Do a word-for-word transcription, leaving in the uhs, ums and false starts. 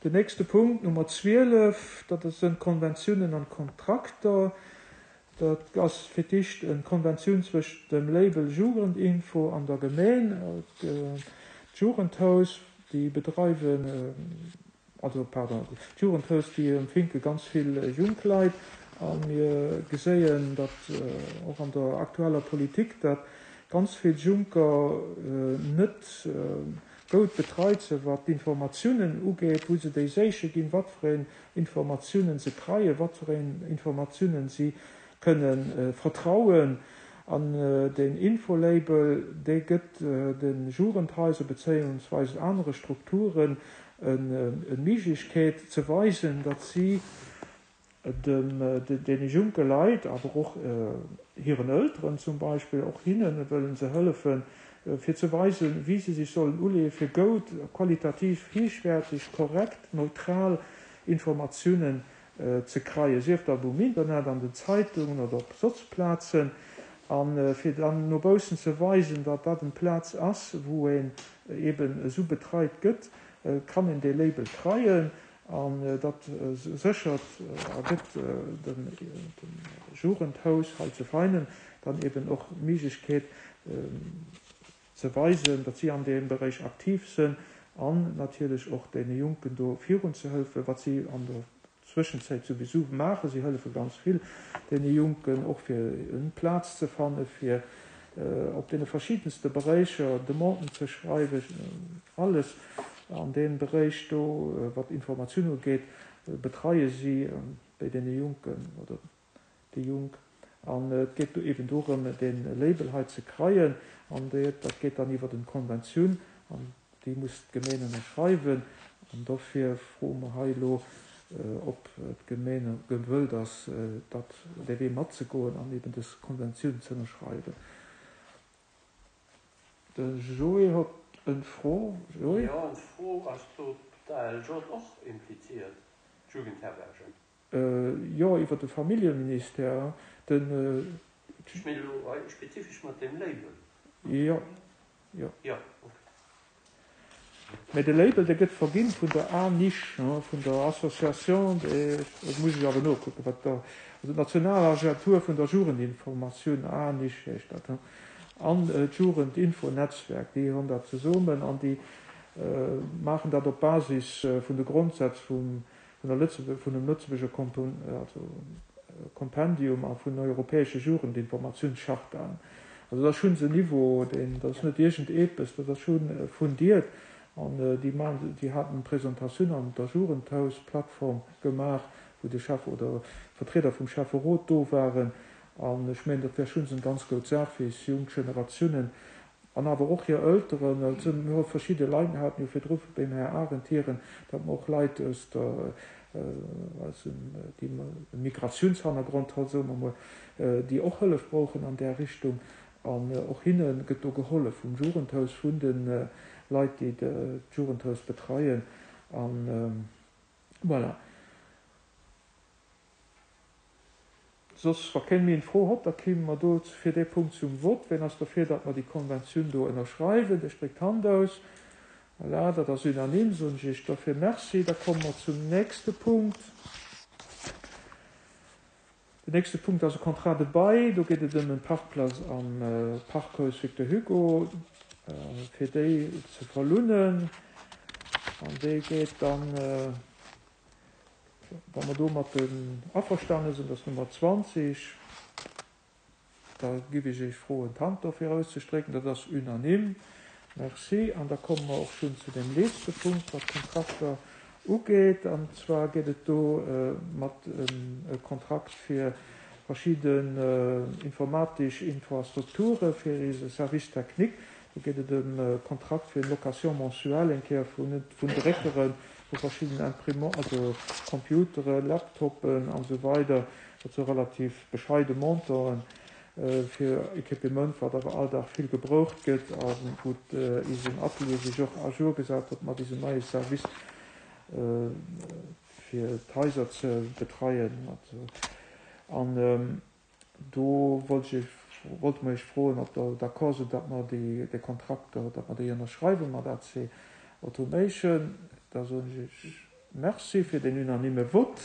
Den nächste Punkt, Nummer zwielef, dat sënn d'Konventiounen an d'Kontrakter. Dat ass fir d'éischt eng Konventioun zwëscht dem Label Jugendinfo an der Gemeen. D'Jugendhaus, déi bedreiwen, also pardon, d'Jugendhaus, déi empfinke ganz vill junk Leit. A mir geséien, datt och an der aktueller Politik, datt ganz vill Junker net goud betreit sinn, wat d'Informatiounen ugeet, wou se déi séiche ginn, wat fir een Informatiounen se kreien, wat fir een Informatiounen si kënnen vertrauen. An den Infolabel, dee gëtt de Jugendhaiser bezéiungsweis anere Strukturen en Méiglechkeet ze weisen, datt si dem deene junke Leit, awer och hiren Elteren zum Beispill, och hinne wëllen se hëllefen, fir ze weisen, wéi se sech sollen uleeën, fir goud, qualitativ héichwäerteg, korrekt, neutral Informatiounen ze kreien, sief dat um Internet, an den Zeitungen oder op soss Plazen, a fir dann no baussen ze weisen, datt dat eng Plaz ass, wou een eben esou betreit gëtt, kann een dee Label kreien. An dat séchert a gëtt dem Jugendhaus hei zu Veinen dann eben och d'Méiglechkeet ze weisen, datt si an deem Beräich aktiv sinn an natierlech och deene Jonken do virun ze hëllefen, wat si an der Zwëschenzäit souwisou maachen. Si hëllefe ganz vill deene Jonken, och fir eng Plaz ze fanne fir op deene verschiddenste Beräicher Demanden ze schreiwen, alles an deem Beräich do, wat Informatioun ugeet, betreie si bei deene Jonken oder déi Jonk. An et geet do eben dorëm, dee Label hei ze kreien, an dat geet dann iwwer eng Konventioun, an déi muss d'Gemeen ënnerschreiwen. An dofir froe mer hei elo, ob d'Gemeen gewëllt ass, dat dee Wee matzegoen an eben dës Konventioun ze ënnerschreiwen. De Joé huet eng Fro. Joé? Jo, eng Fro. Ass do d'A L J och impliziert, d'Jugendherbergen? Jo, iwwer de Familljeministère. Den, Ech mengen elo hei spezifesch mat deem Label. Jo, jo. Jo, okay. Mä de Label, dee gëtt verginn vun der ANICH, vun der Association des, dat muss ech awer nokucken, wat da, also d'Nationalagentur vun der Jugendinformatioun, ANICH heescht dat, an d'Jugendinfonetzwerk, déi hunn dat zesummen an déi maachen dat op Basis vun de Grondsätz vum, vun der Lëtzebuerg, vun dem Lëtzebuerger Kompon, also Kompendium a vun europäesche Jugendinformatiounschartaen. Also dat ass schonn en Niveau, deen, dat ass net iergend eppes, dat ass schonn fundiert. An déi maachen, déi haten Presentatioun an der Jugendhausplattform gemaach, wou de Chef oder Vertrieder vum Schäfferot do waren. An ech mengen, dat wär schonn eng ganz gutt Saach fir eis jonk Generatiounen an awer och hir Elteren. Also mir hu verschidde Leit, mir haten jo virdru beim Här Arendt hieren, datt mer och Leit aus der, aus dem, déi e Migratiounshannergrond hat, soe mer mol, déi och Hëllef brauchen an där Richtung. An och hinne gëtt do gehollef vum Jugendhaus, vun de Leit, déi d'Jugendhaus betreien. An voilà. Soss, wa keen méi eng Fro hott, da kéime mer do fir dee Punkt zum Vott. Ween ass derfir, datt mer déi Konventioun do ënnerschreiwen? Dee stréckt d'Hand aus. Voilà, dat ass unanime, soen ech Iech dofir Merci. Da komme mer zum nächste Punkt. Den nächste Punkt ass e Contrat de bail. Do geet et ëm en Parkplatz am Parkhaus Victor Hugo, fir déi ze verlounen. An déi geet dann, wa mer domat averstane sinn, dat ass Nummer zwanzeg, da giff ech Iech froen, d'Hand dofir auszestrécken. Dat ass unanime. Merci. An da komme mer och schonn zu dem letzte Punkt, wat Kontrakter ugeet. An zwar geet et do mat e Kontrakt fir verschidden informatesch Infrastrukture fir eise Service technique. Do geet et ëm e Kontrakt fir Location mensuelle eng Kéier vun, vun Dréckeren, vu verschiddenen Imprimant, also Computeren, Laptopen an esou weider. Dat si relativ bescheide Montanten fir Equipement, wat awer all Dag vill gebroucht gëtt a wou eisen Atelier sech och à jour gesat huet mat diesem neie Service fir d'Haiser ze betreien. An do wollt ech, wollte mer Iech froen, ob Der d'accord sidd, datt mer déi, déi Kontrakter, datt mer déi ënnerschreiwe mat A C Automation. Da soen ech Iech Merci fir den unanime Vote.